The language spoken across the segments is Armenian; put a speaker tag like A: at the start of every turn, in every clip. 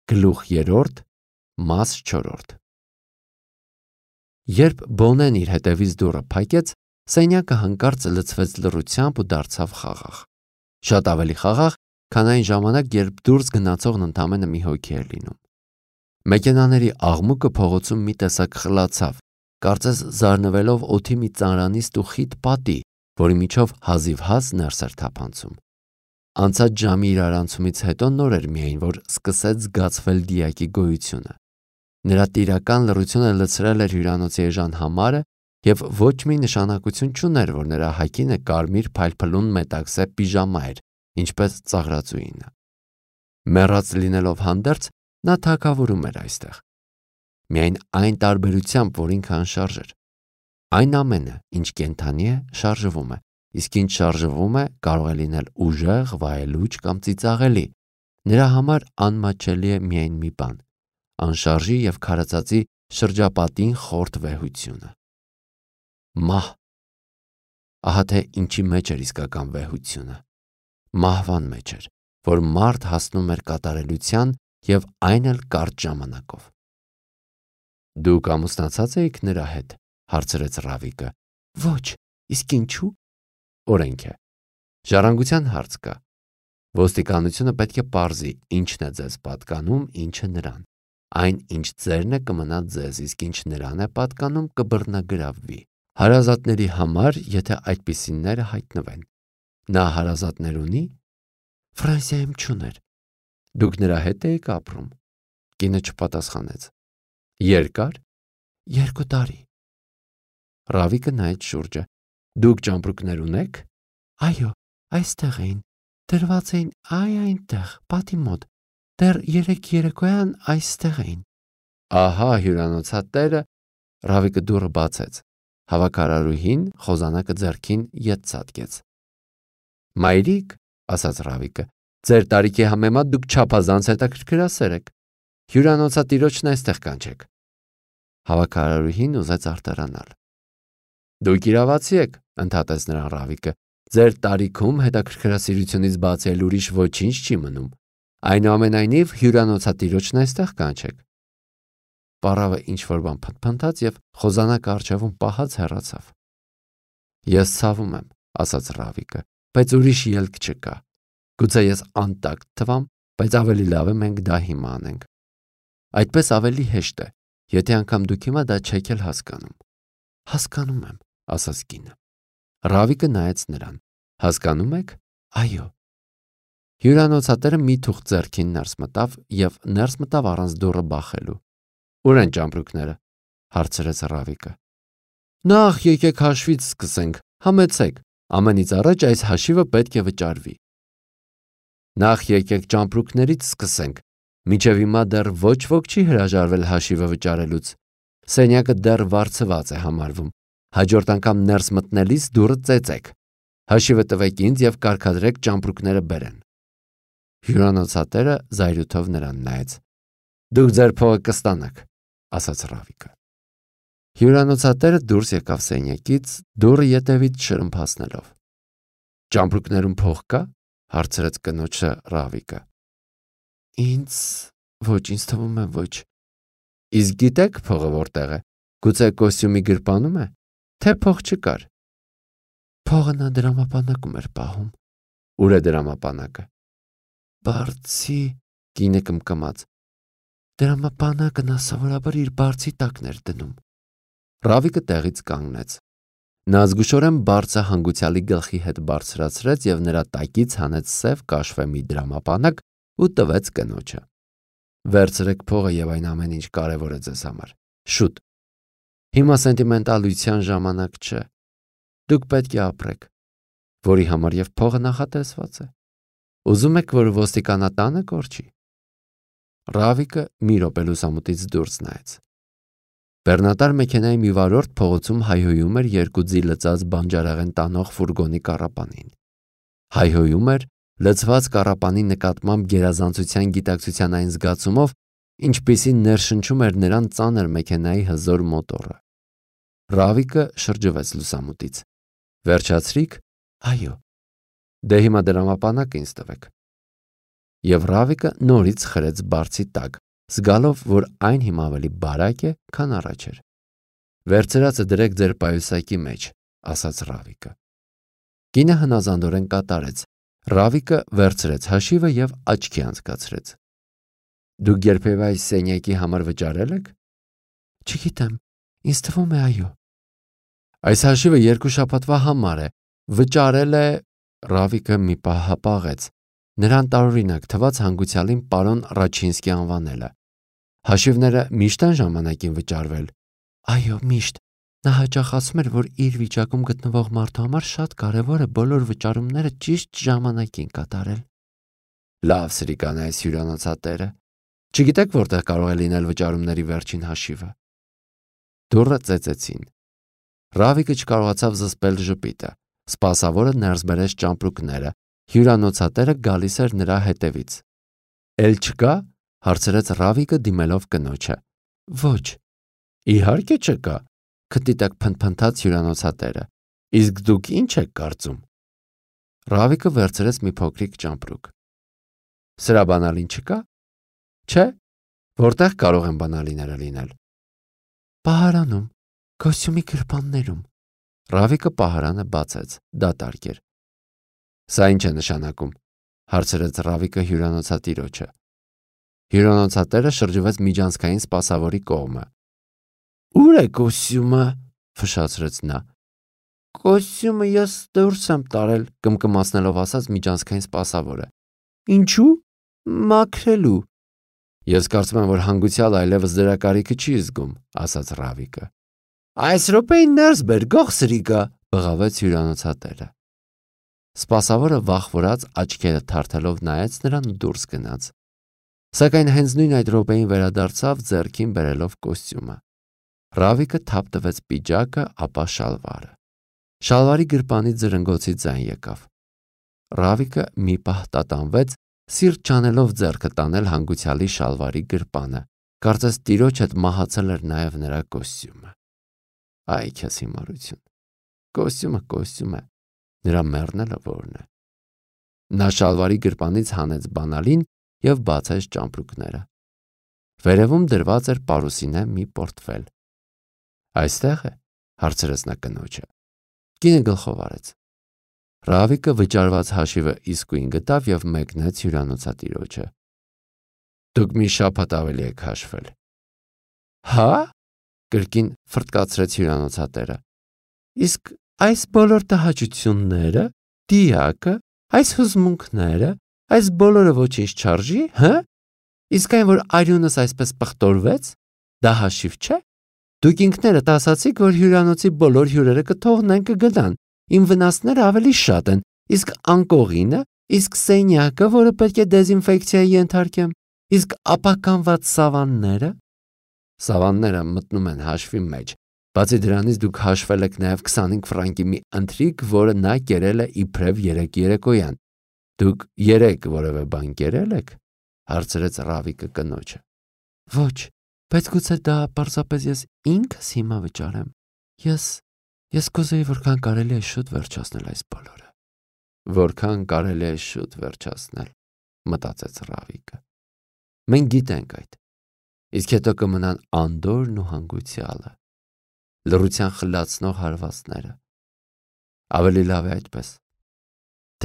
A: Գլուխ 3, մաս 4։ Երբ Բոնեն իր հետևից դուռը փակեց, սենյակը հանկարծ լցվեց լռությամբ ու դարձավ խաղաղ։ Շատ ավելի խաղաղ, քան այն ժամանակ, երբ դուրս գնացողն ընդամենը մի հոգի էր լինում։ Մեքենաների աղմուկը փողոցում մի տեսակ խլացավ, կարծես զարնվելով օդի մի ծանրանիստ ու խիտ պատի, որի միջով հազիվ-հազ ներս էր թափանցում։ Անցած ժամի իրարանցումից հետո նոր էր միայն, որ սկսեց զգացվել դիակի գոյությունը։ Նրա տիրական լռությունը լցրել էր հյուրանոցի էժան համարը և ոչ մի նշանակություն չուներ, որ նրա հագինը կարմիր փայլփլուն մետաքսե պիժամա էր, ինչպես ծաղրածուինը։ Մեռած լինելով հանդերձ, նա թագավորում էր այստեղ։ Միայն այն տարբերությամբ, որ ինքը անշարժ էր։ Այն ամենը, ինչ կենդանի է, շարժվում է, իսկ ինչ շարժվում է, կարող է լինել ուժեղ, վայելուչ կամ ծիծաղելի։ Նրա համար անմատչելի է միայն մի բան՝ անշարժի և քարացածի շրջապատին խորտ վեհությունը։ Մահ։ Ահա թե ինչի մեջ էր իսկական վեհությունը։ Մահվան մեջ էր, որ մարդ հասնում էր կատարելության և այն էլ կարճ ժամանակով։ Դուք ամուսնացած էիք նրա հետ, հարցրեց Ռավիկը։ Ոչ, իսկ ինչու։ Օրենք է։ Ժառանգության հարց կա։ Ոստիկանությունը պետք է պարզի, ինչն է ձեզ պատկանում, ինչը նրան։ Այն, ինչ ձերն է, կմնա ձեզ, իսկ ինչ նրան է պատկանում, կբռնագրավվի։ Հարազատների համար, եթե այդպիսիները հայտնվեն։ Նա հարազատներ ունի։ Ֆրանսիայում չուներ։ Դուք նրա հետ էիք ապրում։ Կինը չպատասխանեց։ Երկար։ 2 տարի։ Ռավիկը նայեց շուրջը։ Դուք ճամպրուկներ ունեք։ Այո, այստեղ էին։ Դրված էին այնտեղ, պատի մոտ։ Դեռ 3 երեկոյան այստեղ էին։ Ահա հյուրանոցատերը։ Ռավիկը դուռը բացեց։ Հավաքարարուհին խոզանակը ձեռքին ետ ցատկեց։ Մայրիկ, ասաց Ռավիկը, ձեր տարիքի համեմատ դուք չափազանց հետաքրքրասեր եք։ Հյուրանոցատիրոջն այստեղ կանչեք։ Հավաքարարուհին ուզեց արտարանալ։ Դուք իրավացի եք, ընդհատեց նրան Ռավիկը։ Ձեր տարիքում հետաքրքրասիրությունից բացի էլ ուրիշ ոչինչ չի մնում։ Այնուամենայնիվ հյուրանոցատիրոջն այստեղ կանչեք։ Պառավը ինչ-որ բան փնթփնթաց և խոզանակը առջևում պահած հեռացավ։ Ես ցավում եմ, ասաց Ռավիկը, բայց ուրիշ ելք չկա։ Գուցե ես անտակտ թվամ, բայց ավելի լավ է մենք դա հիմա անենք։ Այդպես ավելի հեշտ է, եթե անգամ դուք հիմա դա չեք էլ հասկանում։ Հասկանում եմ, ասաց կինը։ Ռավիկը նայեց նրան։ Հասկանում եք։ Այո։ Հյուրանոցատերը մի թուղթ ձեռքին ներս մտավ և ներս մտավ առանց դուռը բախելու։ Ուր են ճամպրուկները, հարցրեց Ռավիկը։ Նախ եկեք հաշվից սկսենք, համեցեք, ամենից առաջ այս հաշիվը պետք է վճարվի։ Նախ եկեք ճամպրուկներից սկսենք, մինչև հիմա դեռ ոչ ոք չի հրաժարվել հաշիվը վճարելուց։ Սենյակը դեռ վարձված է համարվում։ Հաջորդ անգամ ներս մտնելիս դուռը ծեծեք։ Հաշիվը տվեք ինձ և կարգադրեք ճամպրուկները բերեն։ Հյուրանոցատերը զայրույթով նրան նայեց։ Դուք ձեր փողը կստանաք, ասաց Ռավիկը։ Հյուրանոցատերը դուրս եկավ սենյակից, դուռը ետևից շրմփացնելով։ Ճամպրուկներում փող կա, հարցրեց կնոջը Ռավիկը։ Ոչ, ինձ թվում է ոչ։ Իսկ գիտեք փողը որտեղ է։ Գուցե կոստյումի գրպանում է, թե փող չկար։ Փողը նա դրամապանակում էր պահում։ Ուր է դրամապանակը։ Բարձի, կինը կմկմաց։ Դրամապանակը նա սովորաբար իր բարձի տակն էր դնում։ Ռավիկը տեղից կանգնեց։ Նա զգուշորեն բարձը հանգուցյալի գլխի հետ բարձրացրեց և նրա տակից հանեց սև կաշվե մի դրամապանակ ու տվեց կնոջը։ Վերցրեք փողը և այն ամեն ինչ կարևոր է ձեզ համար։ Շուտ։ Հիմա սենտիմենտալության ժամանակ չէ։ Դուք պետք է ապրեք, որի համար և փողը նախատեսված է։ Ուզում եք, որ ոստիկանատանը կորչի։ Ռավիկը մի րոպե լուսամուտից դուրս նայեց։ Բեռնատար մեքենայի մի վարորդ փողոցում հայհոյում էր 2 ձի լծած բանջարեղեն տանող ֆուրգոնի կառապանին։ Հայհոյում էր լցված կառապանի նկատմամբ գերազանցության գիտակցության այն զգացումով, ինչպիսին ներշնչում էր նրան ծանր մեքենայի հզոր մոտորը։ Ռավիկը շրջվեց լուսամուտից։ Վերջացրիք։ Այո։ Դե հիմա դրամապանակը ինձ տվեք։ Եվ Ռավիկը նորից խրեց բարձի տակ, զգալով, որ այն հիմա ավելի բարակ է, քան առաջ էր։ Վերցրածը դրեք ձեր պայուսակի մեջ, ասաց Ռավիկը։ Կինը հնազանդորեն կատարեց։ Ռավիկը վերցրեց հաշիվը եւ աչքի անցկացրեց։ Դուք երբևէ այս սենյակի համար վճարել եք։ Չգիտեմ, ինձ թվում է այո։ Այս հաշիվը 2 շաբաթվա համար է։ Վճարել է Ռավիկը մի պահ հապաղեց։ Նրան տարօրինակ թվաց հանգուցյալին պարոն Ռաչինսկի անվանելը։ Հաշիվները միշտ են ժամանակին վճարվել։ Այո, միշտ։ Նա հաճախ ասում էր, որ իր վիճակում գտնվող մարդու համար շատ կարևոր է բոլոր վճարումները ճիշտ ժամանակին կատարել։ Լավ, սրիկան այս հյուրանոցատերը։ Չգիտեք որտեղ կարող է լինել վճարումների վերջին հաշիվը։ Դուռը ծեծեցին։ Ռավիկը չկարողացավ զսպել ժպիտը։ Սպասավորը ներս բերեց ճամպրուկները։ Հյուրանոցատերը գալիս էր նրա հետևից։ Էլ չկա, հարցրեց Ռավիկը դիմելով կնոջը։ Ոչ։ Իհարկե չկա, քթի տակ փնթփնթաց հյուրանոցատերը։ Իսկ դուք ինչ եք կարծում։ Ռավիկը վերցրեց մի փոքրիկ ճամպրուկ։ Սրա բանալին չկա։ Չէ, որտեղ կարող են բանալիները լինել։ Պահարանում, կոստյումի գրպաններում։ Ռավիկը պահարանը բացեց, դատարկ էր։ Սա ինչ է նշանակում, հարցրեց Ռավիկը հյուրանոցատիրոջը։ Հյուրանոցատերը շրջվեց միջանցքային սպասավորի կողմը։ Ուր է կոստյումը, ֆշացրեց նա։ Կոստյումը ես դուրս եմ տարել, կմկմացնելով ասաց միջանցքային սպասավորը։ Ինչու։ Մաքրելու։ Ես կարծում եմ, որ հանգուցյալը այլևս դրա կարիքը չի զգում, ասաց Ռավիկը։ Այս րոպեին ներս բեր, գող սրիկա, բղավեց հյուրանոցատերը։ Սպասավորը վախվորած աչքերը թարթելով նայեց նրան ու դուրս գնաց։ Սակայն հենց նույն այդ րոպեին վերադարձավ ձեռքին բերելով կոստյումը։ Ռավիկը թափ տվեց պիջակը, ապա շալվարը։ Շալվարի գրպանից զրնգոցի ձայն եկավ։ Ռավիկը մի պահ տատանվեց, սիրտ չանելով ձեռքը տանել հանգուցյալի շալվարի գրպանը։ Կարծես տիրոջ հետ մահացել էր նաև նրա կոստյումը։ Այ քեզ հիմարություն։ Կոստյումը է, նրա մեռնելը որն է։ Նա շալվարի գրպանից հանեց բանալին եւ բացեց ճամպրուկները։ Վերևում դրված էր պարուսինե մի պորտֆել։ Այստեղ է, հարցրեց նա կնոջը։ Կինը գլխով արեց։ Ռավիկը վճարված հաշիվը իսկույն գտավ եւ մեկնեց հյուրանոցատիրոջը։ Դուք մի շաբաթ ավելի եք հաշվել։ Հա՞, կրկին ֆրտկացրեց հյուրանոցատերը։ Իսկ այս բոլոր տհաճությունները, դիակը, այս հուզմունքները, այս բոլորը ոչինչ չարժի, հա՞։ Իսկ այն, որ արյունս այսպես պղտորվեց, դա հաշիվ չէ։ Դուք ինքներդ ասացիք, որ հյուրանոցի բոլոր հյուրերը կթողնեն կգնան։ Իմ վնասները ավելի շատ են, իսկ անկողինը, իսկ սենյակը, որը պետք է դեզինֆեկցիայի ենթարկեմ, իսկ ապականված սավանները։ Սավանները մտնում են հաշվի մեջ։ Բացի դրանից դուք հաշվել եք նաև 25 ֆրանկի մի ընթրիք, որը նա կերել է իբրև 3 երեկոյան։ Դուք 3 որևէ բան կերել եք, հարցրեց Ռավիկը կնոջը։ Ոչ, բայց գուցե դա պարզապես ես ինքս հիմա վճարեմ։ Ես կուզեի որքան կարելի է շուտ վերջացնել այս բոլորը։ Որքան կարելի է շուտ վերջացնել, մտածեց Ռավիկը։ Մենք գիտենք այդ։ Իսկ հետո կմնան անդորն ու հանգուցյալը, լռության խլացնող հարվածները։ Ավելի լավ է այդպես։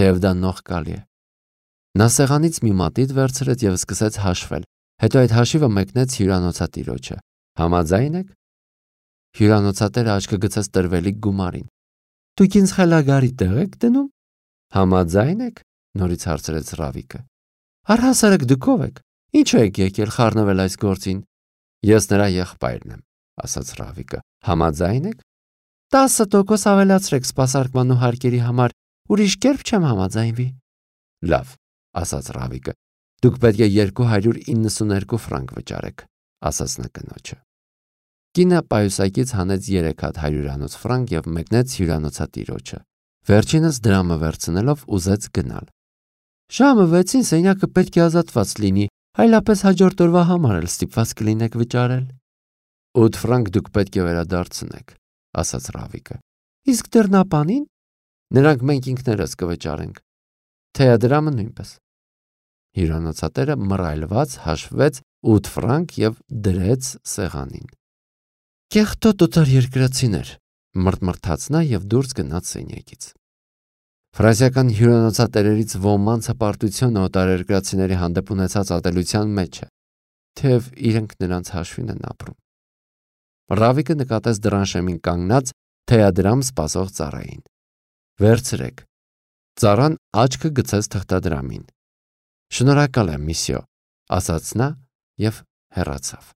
A: Թեև դա նողկալի է։ Նա սեղանից մի մատիտ վերցրեց եւ սկսեց հաշվել։ Հետո այդ հաշիվը մեկնեց հյուրանոցատիրոջը։ Համաձայն եք։ Հյուրանոցատերը աչքը գցեց տրվելիք գումարին։ Դուք ինձ խելագարի տեղ եք դնում։ Համաձայն եք, նորից հարցրեց Ռավիկը։ Առհասարակ դուք ով եք։ Ինչու եք եկել խառնվել այս գործին։ Ես նրա եղբայրն եմ, ասաց Ռավիկը։ Համաձայն եք։ 10% ավելացրեք սպասարկման ու հարկերի համար, ուրիշ կերպ չեմ համաձայնվի։ Լավ, ասաց Ռավիկը։ Դուք պետք է 292 ֆրանկ վճարեք, ասաց նա կնոջը։ Կինը պայուսակից հանեց 3 հատ 100 ֆրանկ եւ մեկնեց հյուրանոցատիրոջը։ Վերջինս դրամը վերցնելով ուզեց գնալ։ Ժամը 6-ին սենյակը պետք է ազատված լինի, այլապես հաջորդ օրվա համար էլ ստիպված կլինեք վճարել։ 8 ֆրանկ դուք պետք է վերադարձնեք, ասաց Ռավիկը։ Իսկ դռնապանին։ Նրանք մենք ինքներս կվճարենք։ Թեյադրամը նույնպես։ Հյուրանոցատերը մռայլված հաշվեց 8 ֆրանկ եւ դրեց սեղանին։ Կեղտոտ օտարերկրացիներ, մռթմռթաց նա եւ դուրս գնաց սենյակից։ Ֆրանսիական հյուրանոցատերերից ոմանց հպարտությունը օտարերկրացիների հանդեպ ունեցած ատելության մեջ է, թեև իրենք նրանց հաշվին են ապրում։ Ռավիկը նկատեց դռան շեմին կանգնած թեյադրամ սպասող ծառային։ Վերցրեք։ Ծառան աչքը գցեց թղթադրամին։ Շնորհակալ եմ, միսյո, ասաց նա եւ հեռացավ։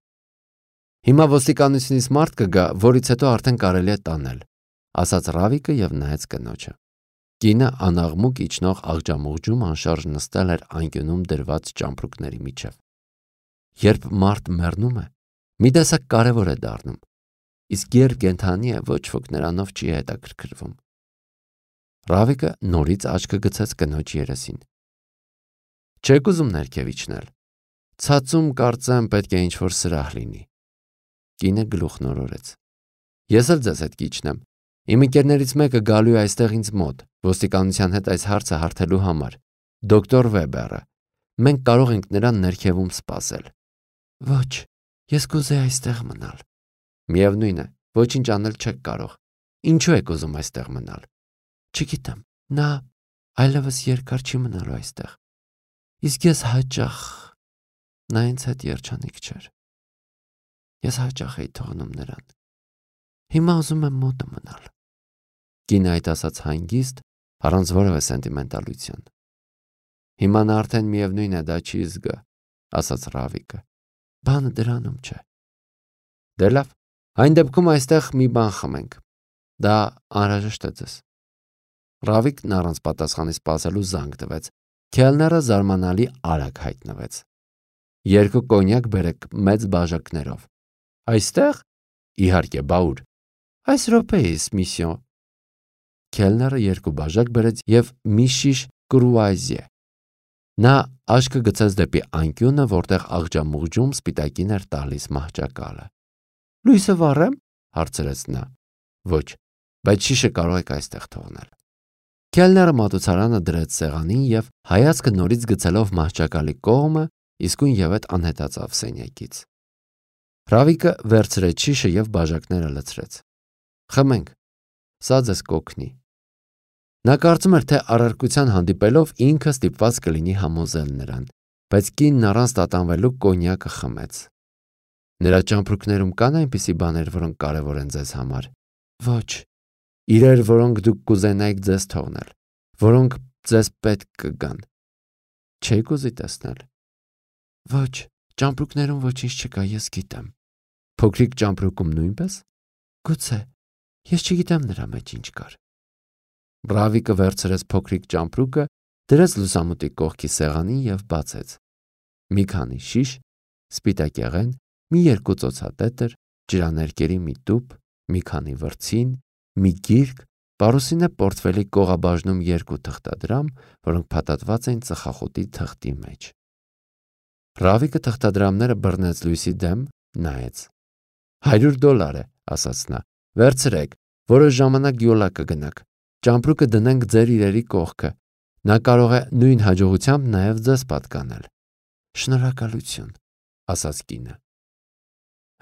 A: Հիմա ոստիկանությունից մարդ կգա, որից հետո արդեն կարելի է տանել, ասաց Ռավիկը եւ նայեց կնոջը։ Կինը անաղմուկ իջնող աղջամուղջում անշարժ նստել էր անկյունում դրված ճամպրուկների միջև։ Երբ մարդ մեռնում է, մի տեսակ կարևոր է դառնում, իսկ երբ կենդանի է, ոչ ոք նրանով չի հետաքրքրվում։ Ռավիկը նորից աչքը գցեց կնոջ երեսին։ Չեք ուզում ներքև իջնել։ Ցածում կարծեմ պետք է ինչ-որ սրահ լինի։ Կինը գլուխ նորորեց։ Ես էլ ձեզ հետ կիջնեմ։ Իմ ընկերներից մեկը գալու է այստեղ ինձ մոտ, ոստիկանության հետ այս հարցը հարթելու համար։ Դոկտոր Վեբերը։ Մենք կարող ենք նրան ներքևում սպասել։ Ոչ, ես կուզեի այստեղ մնալ։ Միևնույն է, ոչինչ անել չեք կարող։ Ինչու եք ուզում այստեղ մնալ։ Չգիտեմ, նա այլևս երկար չի մնալու այստեղ։ Իսկ ես հաճախ նա ինձ հետ երջանիկ չէր։ Ես հաճախ էի թողնում նրան։ Հիմա ուզում եմ մոտը մնալ։ Կինը այդ ասաց հանգիստ, առանց որևէ սենտիմենտալության։ Հիմա նա արդեն միևնույն է դա չի զգա, ասաց Ռավիկը։ Բանը դրանում չէ։ Դե լավ, այն դեպքում այստեղ մի բան խմենք։ Դա անհրաժեշտ է ձեզ։ Ռավիկն առանց պատասխանի սպասելու զանգ տվեց։ Քելները զարմանալի արագ հայտնվեց։ 2 կոնյակ բերեք մեծ բաժակներով։ Այստեղ։ Իհարկե, բաուր։ Այս րոպեիս, միսյո։ Քելները 2 բաժակ բերեց եւ մի շիշ կրուազիե։ Նա աչքը գցեց դեպի անկյունը, որտեղ աղջամուղջում սպիտակին էր տալիս մահճակալը։ Լույսը վառեմ, հարցրեց նա։ Ոչ, բայց շիշը կարող եք այստեղ թողնել։ Քելները մատուցարանը դրեց սեղանին եւ հայացքը նորից գցելով մահճակալի կողմը, իսկույն ևեթ անհետացավ սենյակից։ Ռավիկը վերցրեց շիշը եւ բաժակները լցրեց։ Խմենք, սա ձեզ կօգնի։ Նա կարծում էր, թե առարկության հանդիպելով ինքը ստիպված կլինի համոզել նրան, բայց կինն առանց տատանվելու կոնյակը խմեց։ Նրա ճամպրուկներում կան այնպիսի բաներ, որոնք կարևոր են ձեզ համար։ Ոչ, իրեր, որոնք դուք կուզենայիք ձեզ թողնել, որոնք ձեզ պետք կգան։ Չեք ուզի տեսնել։ Ոչ, ճամպրուկներում ոչինչ չկա, ես գիտեմ։ Փոքրիկ ճամպրուկում նույնպես։ Գուցե, ես չգիտեմ նրա մեջ ինչ կար։ Ռավիկը վերցրեց փոքրիկ ճամպրուկը, դրեց լուսամուտի կողքի սեղանին եւ բացեց։ Մի քանի շիշ, սպիտակ եղեն, մի 2 ծոցատետր, ջրաներկերի մի տուփ, մի քանի վրձին, մի գիրք, պարուսինե պորտֆելի կողաբաժնում 2 թղթադրամ, որոնք փաթաթված էին ծխախոտի թղթի մեջ։ Ռավիկը թղթադրամները բռնեց լույսի դեմ, նայեց։ $100 է, ասաց նա։ Վերցրեք, որոշ ժամանակ յոլա կգնաք։ Ճամպրուկը դնենք ձեր իրերի կողքը։ Նա կարող է նույն հաջողությամբ նաև ձեզ պատկանել։ Շնորհակալություն, ասաց կինը։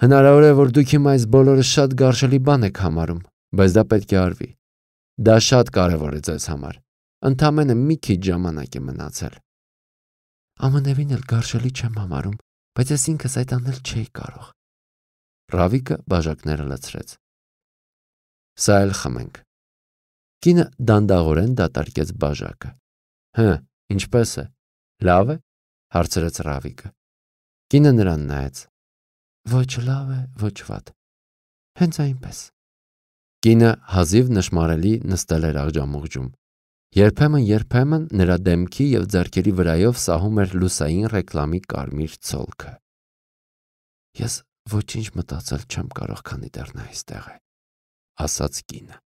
A: Հնարավոր է, որ դուք հիմա այս բոլորը շատ գարշելի բան եք համարում, բայց դա պետք է արվի։ Դա շատ կարևոր է ձեզ համար։ Ընդամենը մի քիչ ժամանակ է մնացել։ Ամենևին էլ գարշելի չեմ համարում, բայց ես ինքս այդ անել չէի կարող։ Ռավիկը բաժակները լցրեց։ Սա էլ խմենք։ Կինը դանդաղորեն դատարկեց բաժակը։ Ինչպես է։ Լավ է, հարցրեց Ռավիկը։ Կինը նրան նայեց։ Ոչ լավ է, ոչ վատ։ Հենց այնպես։ Կինը հազիվ նշմարելի նստել էր աղջամուղջում։ Երբեմն նրա դեմքի եւ ձեռքերի վրայով սահում էր լուսային ռեկլամի կարմիր ցոլքը։ Ես ոչինչ մտածել չեմ կարող, քանի դեռ նա այստեղ է, ասաց կինը։